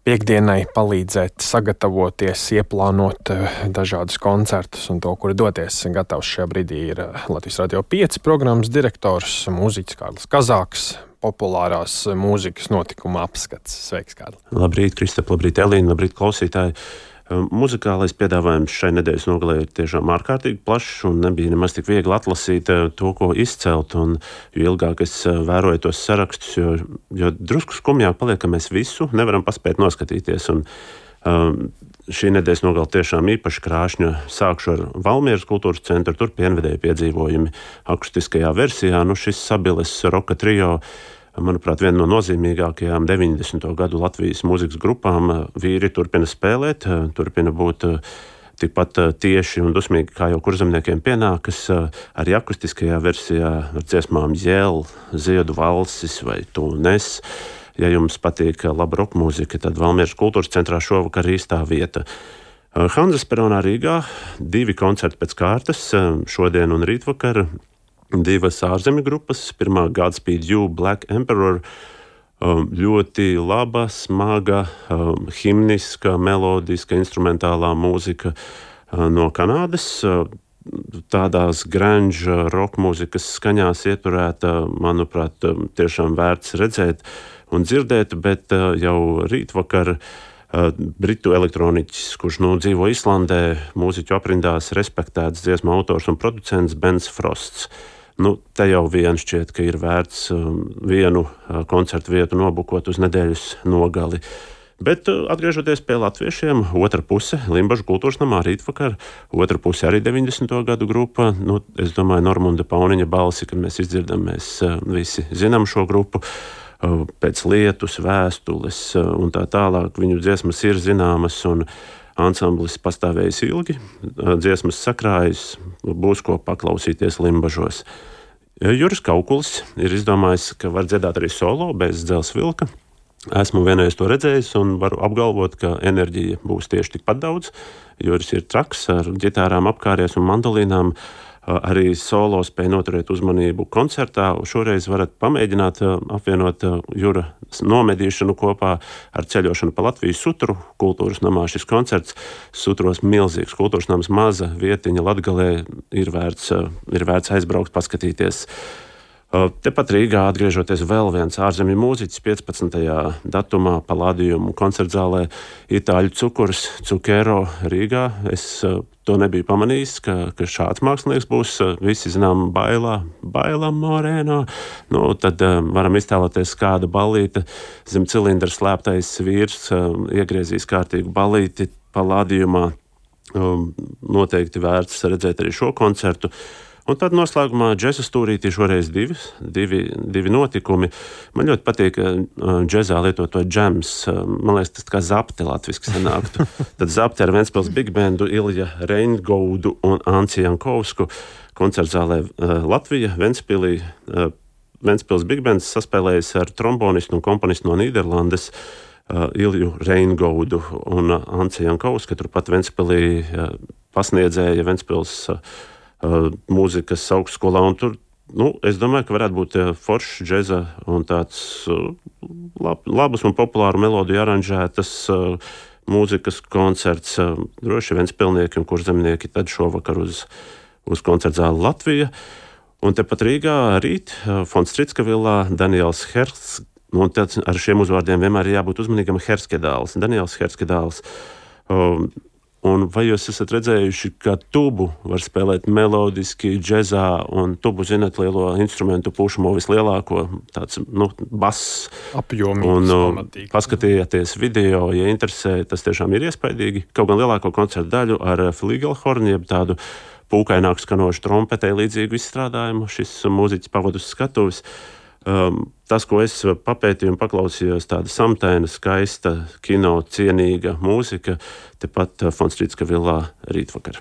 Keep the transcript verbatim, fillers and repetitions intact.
Piektdienai palīdzēt sagatavoties, ieplānot dažādus koncertus un to, kur doties. Gatavs šajā brīdī ir Latvijas Radio pieci programmas direktors, mūziķis Kārlis Kazāks, populārās mūzikas notikuma apskats. Sveiks, Kārli! Labrīt, Kristap, labrīt, Elīna, labrīt, klausītāji! Muzikālais piedāvājums šai nedēļas nogalē ir tiešām ārkārtīgi plašs un nebija nemaz tik viegli atlasīt to, ko izcelt. Un, jo ilgāk es vēroju tos sarakstus, jo, jo drusku skumjāk paliek, ka mēs visu nevaram paspēt noskatīties. Un, um, šī nedēļas nogala tiešām īpaši krāšņa. Sākšu ar Valmieras kultūras centru, tur pienvedēju piedzīvojumi akustiskajā versijā. Nu, šis Sabiles roka trio, manuprāt, viena no nozīmīgākajām deviņdesmito gadu Latvijas mūzikas grupām. Vīri turpina spēlēt, turpina būt tikpat tieši un dusmīgi, kā jau kurzemniekiem pienākas, arī akustiskajā versijā ar dziesmām Jēl, Ziedu valsis vai Tu nes. Ja jums patīk laba roka mūzika, tad Valmieras kultūras centrā šovakar īstā vieta. Hanzas peronā Rīgā divi koncerti pēc kārtas, šodien un rītvakar. Divas ārzemju grupas, pirmā Godspeed You, Black Emperor, ļoti laba, smaga, himniska, melodiska, instrumentālā mūzika no Kanādas. Tādās grunge roka mūzikas skaņās ieturēta, manuprāt, tiešām vērts redzēt un dzirdēt, bet jau rītvakar britu elektroniķis, kurš nu dzīvo Islandē, mūziķu aprindās respektēts dziesmu autors un producents Bens Frosts. Nu, te jau vien šķiet, ka ir vērts vienu koncertu vietu nobukot uz nedēļas nogali. Bet atgriežoties pie latviešiem, otra puse Limbažu kultūras namā rītvakar, otra puse arī deviņdesmito gadu grupa. Nu, es domāju, Normunda Pauniņa balsi, kad mēs izdzirdam, mēs visi zinām šo grupu. Pēc lietus, vēstules un tā tālāk viņu dziesmas ir zināmas un ansamblis pastāvējis ilgi, dziesmas sakrājas, būs ko paklausīties Limbažos. Juris Kaukulis ir izdomājis, ka var dziedāt arī solo bez Dzelzs vilka. Esmu vienreiz to redzējis un varu apgalvot, ka enerģija būs tieši tikpat daudz. Juris ir traks ar ģitārām apkāries un mandolīnām. Arī solo spēja noturēt uzmanību koncertā. Šoreiz varat pamēģināt apvienot Jura nomedīšanu kopā ar ceļošanu pa Latviju Sutru kultūras namā. Šis koncerts Sutros milzīgs kultūras nams, maza vietiņa Latgalē, ir vērts, ir vērts aizbraukt, paskatīties. Tepat Rīgā atgriežoties vēl viens ārzemju mūziķis piecpadsmitajā datumā Palādījumu koncertzālē Itāļu cukurs Cukero Rīgā. Es to nebiju pamanījis, ka, ka šāds mākslinieks būs. Visi zinām Bailā, Bailā Moreno. Nu, tad um, varam iztēloties kāda ballīte. Zem cilindra slēptais vīrs um, iegriezīs kārtīgu ballīti Palādījumā. Um, noteikti vērts redzēt arī šo koncertu. Un tad noslēgumā džeza stūrītī šoreiz divi, divi, divi notikumi. Man ļoti patīk džezā lietot to džems. Man liekas, tas kā zapte latviski sanāktu. Tad zapte ar Ventspils Big Bandu, Ilja Reingaudu un Anci Jankovsku koncertzālē Latvija, Ventspilī. Ventspils Big Bands saspēlējis ar trombonistu un komponistu no Nīderlandes Ilju Reingaudu un Anci Jankovsku. Turpat Ventspilī pasniedzēja Ventspils Uh, mūzikas augstskolā, un tur, nu, es domāju, ka varētu būt foršs džeza un tāds uh, lab, labas un populāru melodiju aranžētas uh, mūzikas koncerts. Uh, droši Ventspilnieki un kurzemnieki tad šovakar uz, uz koncertzāli Latvija. Un tepat Rīgā rīt uh, Fons Stritska villā Daniels Hersk, un tad ar šiem uzvārdiem vienmēr ir jābūt uzmanīgam, Herskedāls, Daniels Herskedāls. Uh, Un vai jūs esat redzējuši, ka tubu var spēlēt melodiski, džezā, un tubu, zināt, lielo instrumentu pušamo vislielāko, tāds, nu, bass. Apjomīgs, un pamatīgi. Paskatījieties video, ja interesē, tas tiešām ir iespaidīgi. Kaut gan lielāko koncertu daļu ar fligelhorni, jeb tādu pūkaināku skanošu trompetē līdzīgu izstrādājumu, šis mūziķis pavadus skatuves. Um, tas, ko es papētīju un paklausījos, tāda samtaina, skaista, kino cienīga mūzika, tepat Fons Stritska villā rītvakar.